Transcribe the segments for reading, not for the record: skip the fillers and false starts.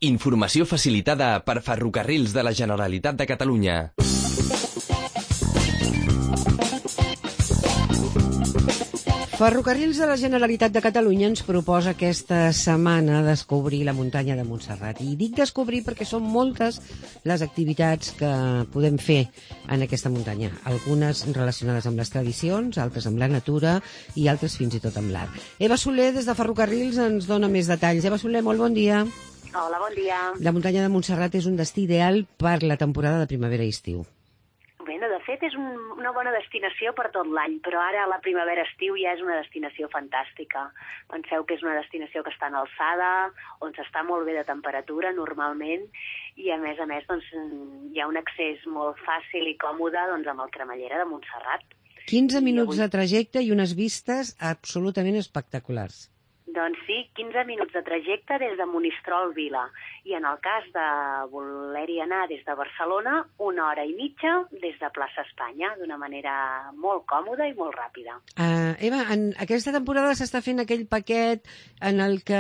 Informació facilitada per Ferrocarrils de la Generalitat de Catalunya. Ferrocarrils de la Generalitat de Catalunya ens proposa aquesta setmana descobrir la muntanya de Montserrat. I dic descobrir perquè són moltes les activitats que podem fer en aquesta muntanya. Algunes relacionades amb les tradicions, altres amb la natura i altres fins i tot amb l'art. Eva Soler, des de Ferrocarrils, ens dona més detalls. Eva Soler, molt bon dia. Hola, bon dia. La muntanya de Montserrat és un destí ideal per la temporada de primavera i estiu. Bueno, de fet, és una bona destinació per tot l'any, però ara la primavera-estiu ja és una destinació fantàstica. Penseu que és una destinació que està en alçada, on s'està molt bé de temperatura normalment, i a més, doncs, hi ha un accés molt fàcil i còmode doncs, amb el Cremallera de Montserrat. 15 minuts de trajecte i unes vistes absolutament espectaculars. Doncs sí, 15 minuts de trajecte des de Monistrol Vila. I en el cas de voler-hi anar des de Barcelona, 1 hora i mitja des de Plaça Espanya, d'una manera molt còmoda i molt ràpida. Eva, en aquesta temporada s'està fent aquell paquet en el que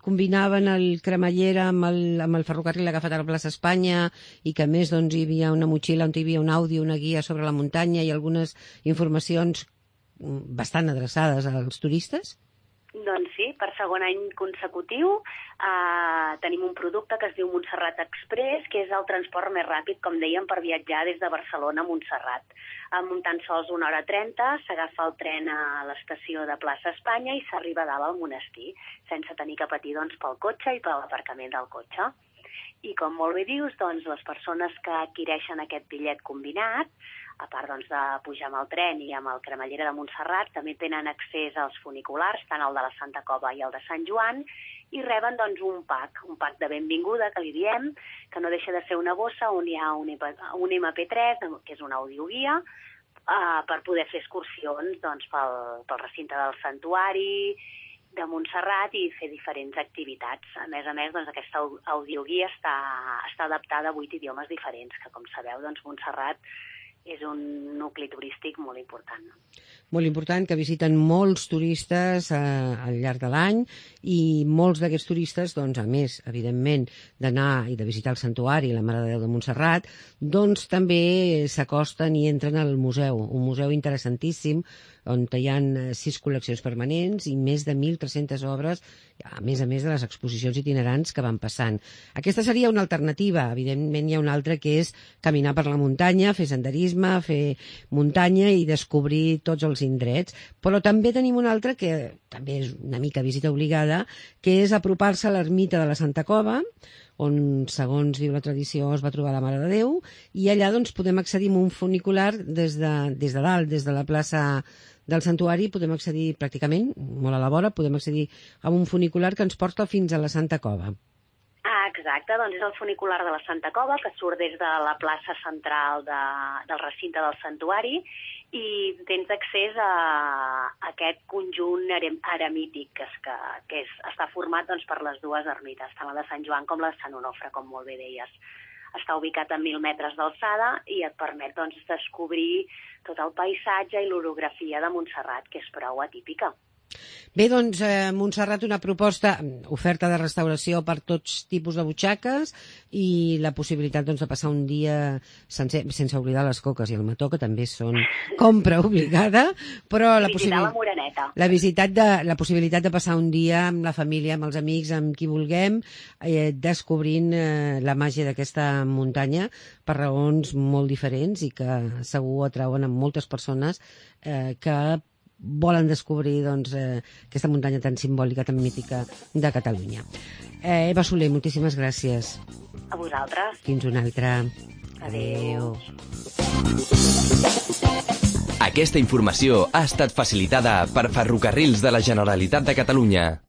combinaven el Cremallera amb el ferrocarril agafat a la Plaça Espanya i que a més doncs, hi havia una motxilla on hi havia un àudio, una guia sobre la muntanya i algunes informacions bastant adreçades als turistes? Doncs sí, per segon any consecutiu tenim un producte que es diu Montserrat Express, que és el transport més ràpid, com dèiem, per viatjar des de Barcelona a Montserrat. Amb tan sols 1 hora 30 s'agafa el tren a l'estació de Plaça Espanya i s'arriba a dalt al monestir, sense tenir que patir doncs, pel cotxe i per l'aparcament del cotxe. I com molt bé dius, doncs, les persones que adquireixen aquest bitllet combinat, a part doncs, de pujar amb el tren i amb el Cremallera de Montserrat, també tenen accés als funiculars, tant el de la Santa Cova i el de Sant Joan, i reben doncs, un pack de benvinguda, que li diem, que no deixa de ser una bossa on hi ha un MP3, que és una audioguia, per poder fer excursions doncs, pel recinte del santuari de Montserrat i fer diferents activitats. A més, doncs, aquesta audioguia està adaptada a 8 idiomes diferents, que com sabeu, doncs, Montserrat és un nucli turístic molt important. Molt important, que visiten molts turistes al llarg de l'any i molts d'aquests turistes, doncs, a més, evidentment, d'anar i de visitar el santuari, la Mare de Déu de Montserrat, doncs també s'acosten i entren al museu, un museu interessantíssim on hi ha 6 col·leccions permanents i més de 1.300 obres, a més de les exposicions itinerants que van passant. Aquesta seria una alternativa. Evidentment hi ha una altra que és caminar per la muntanya, fer senderisme, fer muntanya i descobrir tots els indrets. Però també tenim una altra que també és una mica visita obligada, que és apropar-se a l'ermita de la Santa Cova, on, segons diu la tradició, es va trobar la Mare de Déu, i allà doncs, podem accedir a un funicular des de dalt, des de la plaça del santuari, podem accedir pràcticament, molt a la vora, podem accedir a un funicular que ens porta fins a la Santa Cova. Exacte, doncs és el funicular de la Santa Cova, que surt des de la plaça central del recinte del santuari, i tens accés a aquest conjunt eremític que està format doncs, per les dues ermites, tant la de Sant Joan com la de Sant Onofre, com molt bé deies. Està ubicat a 1.000 metres d'alçada i et permet doncs, descobrir tot el paisatge i l'orografia de Montserrat, que és prou atípica. Bé, doncs, Montserrat, una proposta, oferta de restauració per tots tipus de butxaques i la possibilitat doncs, de passar un dia sencer, sense oblidar les coques i el mató, que també són compra obligada, però la possibilitat de passar un dia amb la família, amb els amics, amb qui vulguem, descobrint la màgia d'aquesta muntanya per raons molt diferents i que segur atrauen a moltes persones que volen descobrir doncs, aquesta muntanya tan simbòlica, tan mítica de Catalunya. Eva Soler, moltíssimes gràcies. A vosaltres. Fins una altra. Adéu. Aquesta informació ha estat facilitada per Ferrocarrils de la Generalitat de Catalunya.